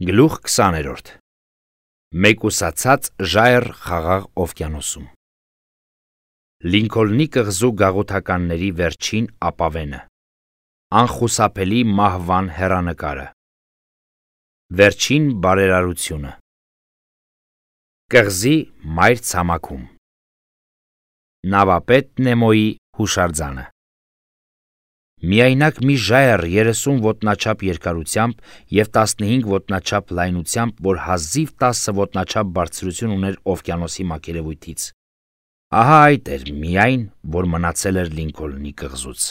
Գլուխ 20-րդ Մեկուսացած ժայռ խաղաղ օվկիանոսում Լինքոլնի կղզու գաղութականների վերջին ապավենը Անխուսափելի մահվան հեռանկարը Վերջին բարերարությունը Կղզի մայր ցամաքում Նավապետ Նեմոյի հուշարձանը Միայնակ մի ժայռ 30 ոտնաչափ երկարությամբ և 15 ոտնաչափ լայնությամբ, որ հազիվ 10 ոտնաչափ բարձրություն ուներ օվկիանոսի մակերևույթից։ Ահա այդ էր միայն, որ մնացել էր Լինքոլնի կղզուց։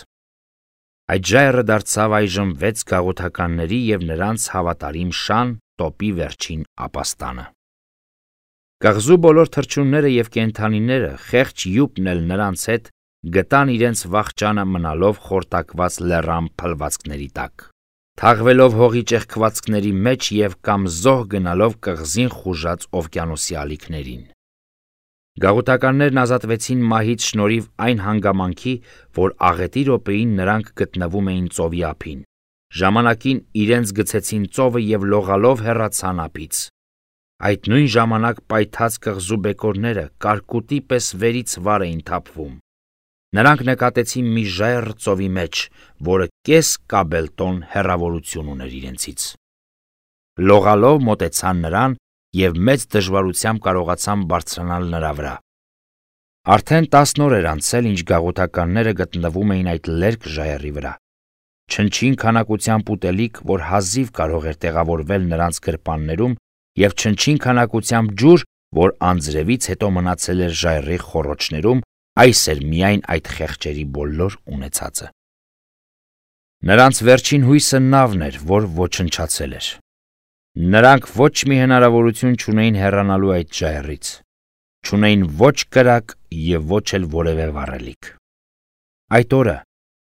Այդ ժայռը դարձավ այժմ 6 գաղութականների և նրանց հավատարիմ շան տոպի վերջին ապաստանը։ Կղզու բոլոր թռչունները և կենդանիները, խեղճ յուպն էլ նրանց հետ, գտան իրենց վախճանը մնալով խորտակված լեռան փլվածքների տակ, թաղվելով հողի ճեղքվածքների մեջ և կամ զոհ գնալով կղզին խուժած օվկիանոսի ալիքներին։ Գաղութականներն ազատվեցին մահից շնորհիվ այն հանգամանքի, որ աղետի րոպեին նրանք գտնվում էին ծովի ափին, ժամանակին իրենց գցեցին ծովը և լողալով հեռացան ափից։ Այդ նույն ժամանակ պայթած կղզու բեկորները կարկուտի պես վերից վար էին թափվում։ Նրանք նկատեցին մի ժայռ ծովի մեջ, որը կես կաբելտոն հեռավորություն ուներ իրենցից։ Լողալով մոտեցան նրան և մեծ դժվարությամբ կարողացան բարձրանալ նրա վրա։ Արդեն 10 օր էր անցել, ինչ գաղութականները գտնվում էին այդ լերկ ժայռի վրա։ Չնչին քանակությամբ ուտելիք, որ հազիվ կարող էր տեղավորվել նրանց գրպաններում, և չնչին քանակությամբ ջուր, որ անձրևից հետո մնացել էր ժայռի խոռոչներում, այս էր միայն այդ խեղճերի բոլոր ունեցածը։ Նրանց վերջին հույսը նավն էր, որ ոչնչացել էր։ Նրանք ոչ մի հնարավորություն չունեին հեռանալու այդ ժայռից, չունեին ոչ կրակ և ոչ էլ որևէ վառելիք։ Այդ օրը,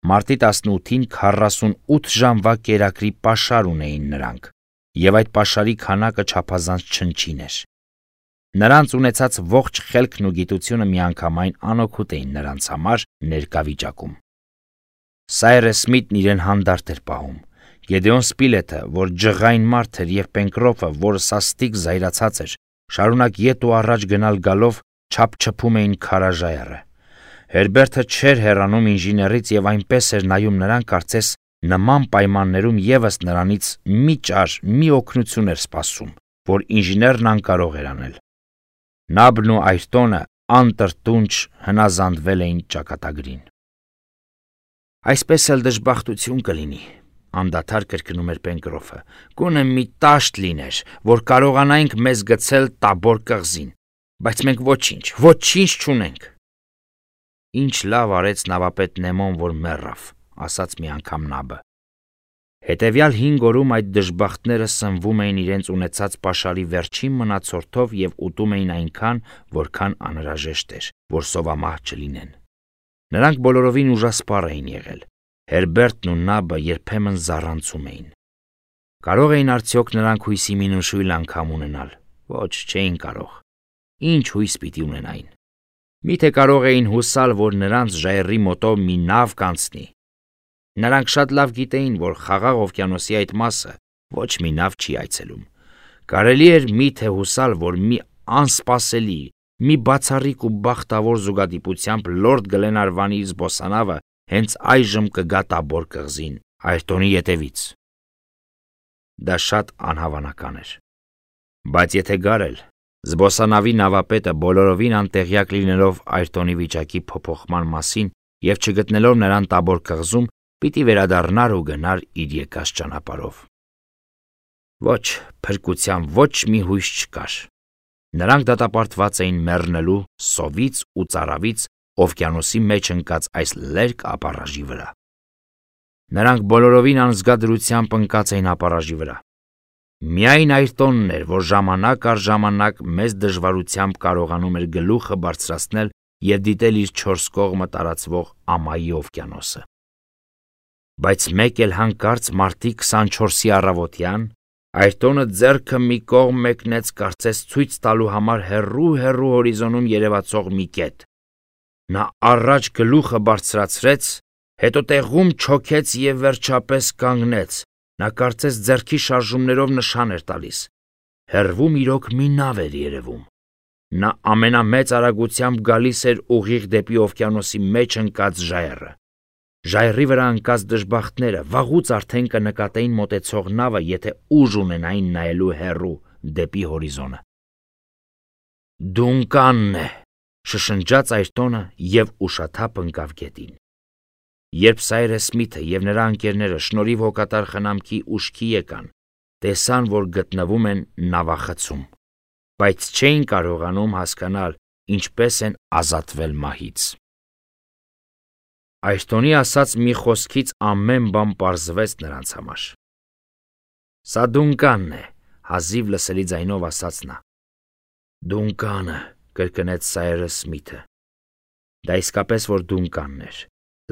մարտի 18-ին 48 ժամվա կերակրի պաշար ունեին նրանք, և այդ պաշարի քանակը չափազանց չնչին էր։ Նրանց ունեցած ողջ խելքն ու գիտությունը միանգամայն անօգուտ էին նրանց համար ներկա վիճակում։ Սայրես Սմիթն իրեն հանդարտ էր պահում, Գեդեոն Սպիլեթը, որ ջղային մարդ էր, և Պենկրոֆը, որը սաստիկ զայրացած էր, շարունակ ետ ու առաջ գնալ գալով չափչփում էին քարաժայռը։ Հերբերտը չէր հեռանում ինժեներից և այնպես էր նայում նրան, կարծես նման պայմաններում ևս նրանից մի ճար, մի օգնություն էր սպասում, որ ինժեներն անկարող էր անել։ Նաբն ու Այրտոնը անտրտունջ հնազանդվել էին ճակատագրին։ Այսպես էլ դժբախտություն կլինի, անդադար կրկնում էր Պենկրոֆը, գոնե մի տաշտ լիներ, որ կարողանայինք մեզ գցել Տաբոր կղզին, բայց մենք ոչինչ չունենք։ Ինչ լավ արեց նավապետ Նեմոն, որ մեռավ, ասաց մի անգամ Նաբը։ Հետևյալ 5 օրում այդ դժբախտները սնվում էին իրենց ունեցած պաշարի վերջին մնացորդով և ուտում էին այնքան, որքան անհրաժեշտ էր, որ սովամահ չլինեն։ Նրանք բոլորովին ուժասպառ էին եղել։ Հերբերտն ու Նաբը երբեմն զառանցում էին։ Կարող էին արդյոք նրանք հույսի մի նշույլ անգամ ունենալ։ Ոչ, չէին կարող։ Ինչ հույս պիտի ունենային։ Միթե կարող էին հուսալ, որ նրանց ժայռի մոտով մի նավ կանցնի։ Նրանք շատ լավ գիտեին, որ խաղաղ օվկիանոսի այդ մասը ոչ մի նավ չի այցելում։ Կարելի էր միթե հուսալ, որ մի անսպասելի, մի բացառիկ ու բախտավոր զուգադիպությամբ լորդ Գլենարվանի զբոսանավը հենց այժմ կգա Տաբոր կղզին, Այրտոնի ետևից։ Դա շատ անհավանական էր։ Բայց եթե գար էլ, զբոսանավի նավապետը բոլորովին անտեղյակ լինելով Այրտոնի վիճակի փոփոխման մասին և չգտնելով նրան Տաբոր կղզում, պիտի վերադառնար ու գնար իր եկած ճանապարհով։ Ոչ, փրկության ոչ մի հույս չկար։ Նրանք դատապարտված էին մեռնելու սովից ու ծարավից օվկիանոսի մեջ ընկած այս լերկ ապառաժի վրա։ Նրանք բոլորովին անզգա դրությամբ ընկած էին ապառաժի վրա։ Միայն Այրտոնն էր, որ ժամանակ առ ժամանակ մեծ դժվարությամբ կարողանում էր գլուխը բարձրացնել և դիտել իր 4 կողմը տարածվող ամայի օվկիանոսը։ Բայց մեկ էլ հանկարծ մարտի 24-ի առավոտյան Այրտոնը ձեռքը մի կողմ մեկնեց, կարծես ցույց տալու համար հեռու հորիզոնում երևացող մի կետ։ Նա առաջ գլուխը բարձրացրեց, հետո տեղում չոքեց և վերջապես կանգնեց, Նա կարծես ձեռքի շարժումներով նշան էր տալիս։ Հեռվում իրոք մի նավ էր երևում։ Նա ամենամեծ արագությամբ գալիս էր ուղիղ դեպի օվկիանոսի մեջ ընկած ժայռը։ Ժայռի վրա ընկած դժբախտները վաղուց արդեն կնկատեին մոտեցող նավը, եթե ուժ ունենային նայելու հեռու դեպի հորիզոնը։ «Դունկանն է», շշնջաց Այրտոնը և ուշաթափ ընկավ գետին։ Երբ Սայրես Սմիթը և նրա ընկերները շնորհիվ հոգատար խնամքի ուշքի եկան, տեսան, որ գտնվում են նավախցում, բայց չէին կարողանում հասկանալ ինչպես են ազատվել մահից։ Այրտոնի ասած մի խոսքից ամեն բան պարզվեց նրանց համար։ «Սա Դունկանն է», հազիվ լսելի ձայնով ասաց նա։ «Դունկանը», կրկնեց Սայրես Սմիթը։ Դա իսկապես որ Դունկանն էր,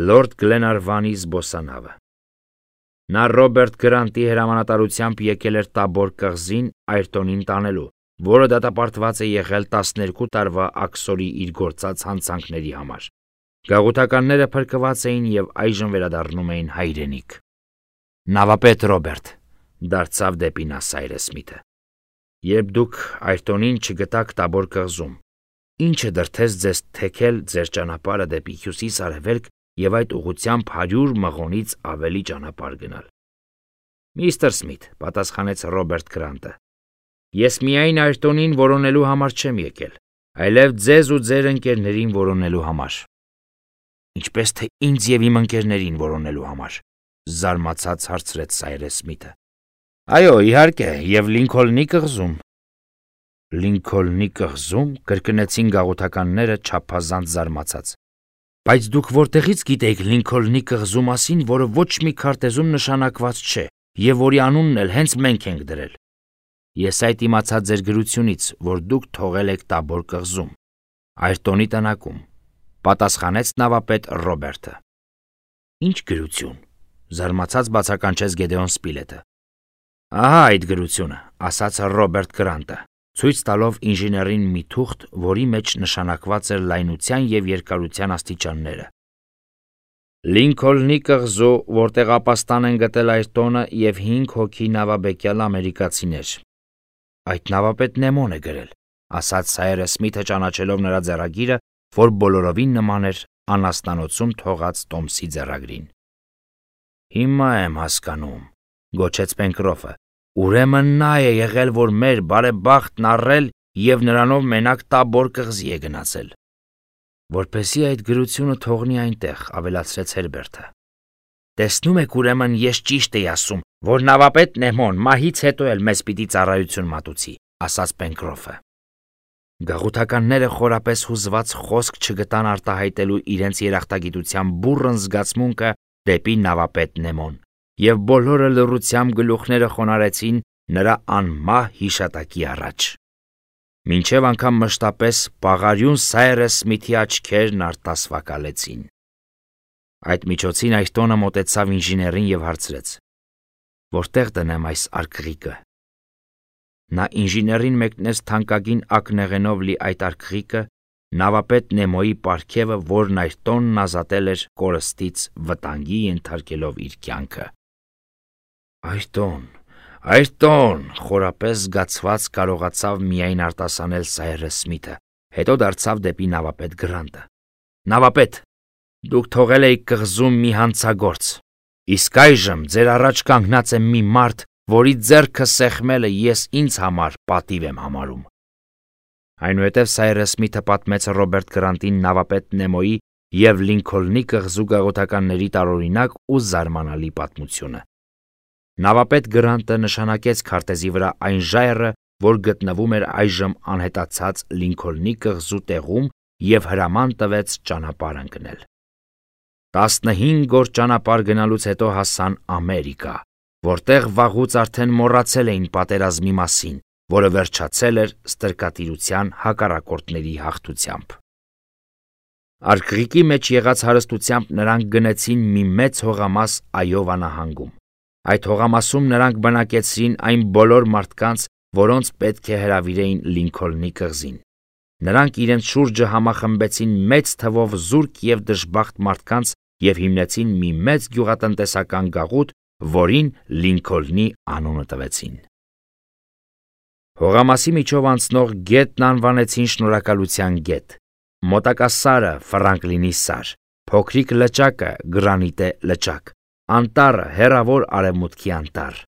Լորդ Գլենարվանի զբոսանավը։ Նա Ռոբերտ Գրանտի հրամանատարությամբ եկել էր Տաբոր կղզին Այրտոնին տանելու, որը դատապարտված է եղել 12 տարվա աքսորի իր գործած հանցանքների համար։ Գաղութականները փրկված էին և այժմ վերադառնում էին հայրենիք։ «Նավապետ Ռոբերտ», դարձավ դեպի նա Սայրես Սմիթը, երբ դուք Այրտոնին չգտաք Տաբոր կղզում, ինչը դրդեց ձեզ թեքել ձեր ճանապարհը դեպի հյուսիս-արևելք և այդ ուղղությամբ 100 մղոնից ավելի ճանապարհ գնալ։ «Միստր Սմիթ», պատասխանեց Ռոբերտ Գրանտը, «ես միայն Այրտոնին որոնելու համար չեմ եկել, այլև ձեզ ու ձեր ընկերներին որոնելու համար»։ «Ինչպես թե ինձ և իմ ընկերներին որոնելու համար», զարմացած հարցրեց Սայրես Սմիթը։ «Այո, իհարկե, և Լինքոլնի կղզում»։ «Լինքոլնի կղզում», կրկնեցին գաղութականները չափազանց զարմացած։ «Բայց դուք որտեղից գիտեիք Լինքոլնի կղզու մասին, որը ոչ մի քարտեզում նշանակված չէ, և որի անունն էլ հենց մենք ենք դրել»։ «Ես այդ իմացա ձեր գրությունից, որ դուք թողել եք Տաբոր կղզում, Այրտոնի տնակում», պատասխանեց նավապետ Ռոբերտը։ «Ինչ գրություն», զարմացած բացականչեց Գեդեոն Սպիլետը։ «Ահա այդ գրությունը», ասաց Ռոբերտ Գրանտը, ցույց տալով ինժեներին մի թուղթ, որի մեջ նշանակված էր լայնության և երկարության աստիճանները։ «Լինքոլնի կղզու, որտեղ ապաստան են գտել Այրտոնը և 5 հոգի նավաբեկյալ ամերիկացիներ։ Այդ նավապետ Նեմոն է գրել», ասաց Սայրես Սմիթը ճանաչելով նրա ձեռագիրը, որ բոլորովին նման էր անասնանոցում թողած Տոմսի ձեռագրին։ «Հիմա եմ հասկանում», գոչեց Պենկրոֆը, «ուրեմն նա է եղել, որ մեր բարեբախտն առել և նրանով մենակ Տաբոր կղզի է գնացել»։ «Որպեսզի այդ գրությունը թողնի այնտեղ», ավելացրեց Հերբերտը։ «Տեսնում եք, ուրեմն ես ճիշտ էի ասում, որ նավապետ Նեմոն մահից հետո էլ մեզ պիտի ծառայություն մատուցի», ասաց Պենկրոֆը։ Գաղութականները խորապես հուզված խոսք չգտան արտահայտելու իրենց երախտագիտության բուռն զգացմունքը դեպի նավապետ Նեմոն, և բոլորը լռությամբ գլուխները խոնարհեցին նրա անմահ հիշատակի առաջ։ Մինչև անգամ մշտապես պաղարյուն Սայրես Սմիթի աչքերն արտասվակալեցին։ Այդ միջոցին Այրտոնը մոտեցավ ինժեներին և հարցրեց. «Որտեղ դնեմ այս արկղիկը»։ Նա ինժեներին մեկնեց թանկագին ակնեղենով լի այդ արկղիկը, նավապետ Նեմոյի պարգևը, որն Այրտոնն ազատել էր կորստից վտանգի ենթարկելով իր կյանքը։ «Այրտոն, Այրտոն», խորապես զգացված կարողացավ միայն արտասանել Սայրես Սմիթը, հետո դարձավ դեպի նավապետ Գրանտը։ «Նավապետ, դուք թողել էիք կղզում մի հանցագործ, իսկ այժմ ձեր առաջ կանգնած է մի մարդ, որի ձեռքը սեղմելը ես ինձ համար պատիվ եմ համարում»։ Այնուհետև Սայրես Սմիթը պատմեց Ռոբերտ Գրանտին նավապետ Նեմոյի և Լինքոլնի կղզու գաղութականների տարօրինակ ու զարմանալի պատմությունը։ Նավապետ Գրանտը նշանակեց քարտեզի վրա այն ժայռը, որ գտնվում էր այժմ անհետացած Լինքոլնի կղզու տեղում և հրաման տվեց ճանապարհ ընկնել։ 15 օր ճանապարհ գնալուց հետո հասան Ամերիկա, որտեղ վաղուց արդեն մոռացել էին պատերազմի մասին, որը վերջացել էր ստրկատիրության հակառակորդների հաղթությամբ։ Արկղիկի մեջ եղած հարստությամբ նրանք գնեցին մի մեծ հողամաս Այովա նահանգում։ Այդ հողամասում նրանք բնակեցրին այն բոլոր մարդկանց, որոնց պետք է հրավիրեին Լինքոլնի կղզին։ Նրանք իրենց շուրջը համախմբեցին մեծ թվով զուրկ և դժբախտ մարդկանց և հիմնեցին մի մեծ գյուղատնտեսական գաղութ, որին Լինքոլնի անունը տվեցին։ Հողամասի միջով անցնող գետն անվանեցին Շնորհակալության գետ, մոտակա սարը Ֆրանկլինի սար, փոքրիկ լճակը Գրանիտե լճակ, անտառը հեռավոր արևմուտքի անտառ։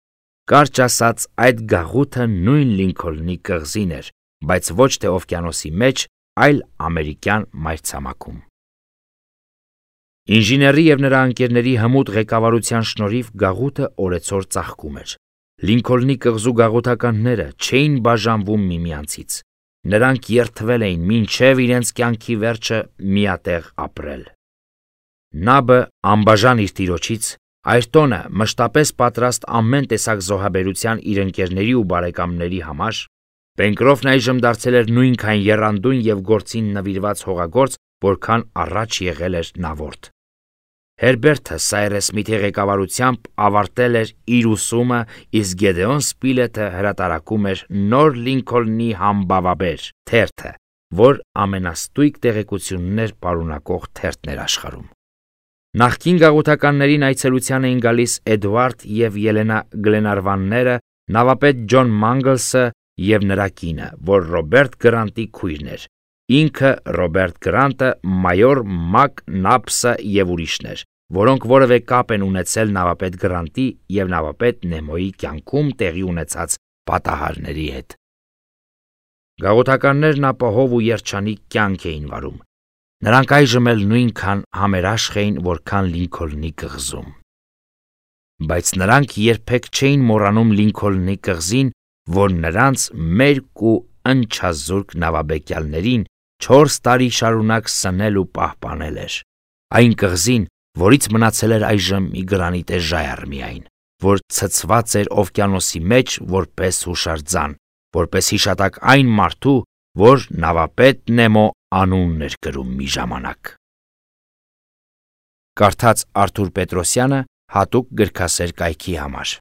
Կարճ ասած, այդ գաղութը նույն Լինքոլնի կղզին էր, բայց ոչ թե օվկիանոսի մեջ, այլ ամերիկյան մայրցամաքում։ Ինժեների և նրա ընկերների հմուտ ղեկավարության շնորհիվ գաղութը օրեցօր ծաղկում էր։ Լինքոլնի կղզու գաղութականները չէին բաժանվում միմյանցից։ Նրանք երդվել էին մինչև իրենց կյանքի վերջը միատեղ ապրել։ Նաբը անբաժան իր տիրոջից, Այրտոնը մշտապես պատրաստ ամեն տեսակ զոհաբերության իր ընկերների ու բարեկամների համար, Պենկրոֆն այժմ դարձել էր նույնքան եռանդուն և գործին նվիրված հողագործ, որքան առաջ եղել էր նավորդ։ Հերբերտը Սայրես Սմիթի ղեկավարությամբ ավարտել էր իր ուսումը, իսկ Գեդեոն Սպիլետը հրատարակում էր նոր Լինքոլնի համբավաբեր թերթը, որ ամենաստույգ տեղեկություններ պարունակող թերթն էր աշխարհում։ Նախկին գաղութականներին այցելության էին գալիս Էդվարդ և Ելենա Գլենարվանները, նավապետ Ջոն Մանգլսը և նրա կինը, որ Ռոբերտ Գրանտի քույրն էր, ինքը Ռոբերտ Գրանտը, մայոր Մակ Նափսը և ուրիշներ, որոնք որևէ կապ են ունեցել նավապետ Գրանտի և նավապետ Նեմոյի կյանքում տեղի ունեցած պատահարների հետ։ Գաղութականներն ապահով ու երջանիկ կյանք էին վարում։ Նրանք այժմ էլ նույնքան համերաշխ էին, որքան Լինքոլնի կղզում։ Բայց նրանք երբեք չէին մոռանում Լինքոլնի կղզին, որ նրանց մերկ ու ընչազուրկ նավաբեկյալներին 4 տարի շարունակ սնել ու պահպանել էր։ Այն կղզին, որից մնացել էր այժմ մի գրանիտե ժայռ միայն, որ ցցված էր օվկիանոսի մեջ որպես հուշարձան, որպես հիշատակ այն մարդու, որ նավապետ Նեմո անունն էր կրում մի ժամանակ։ Կարդաց Արթուր Պետրոսյանը հատուկ գրքասեր կայքի համար։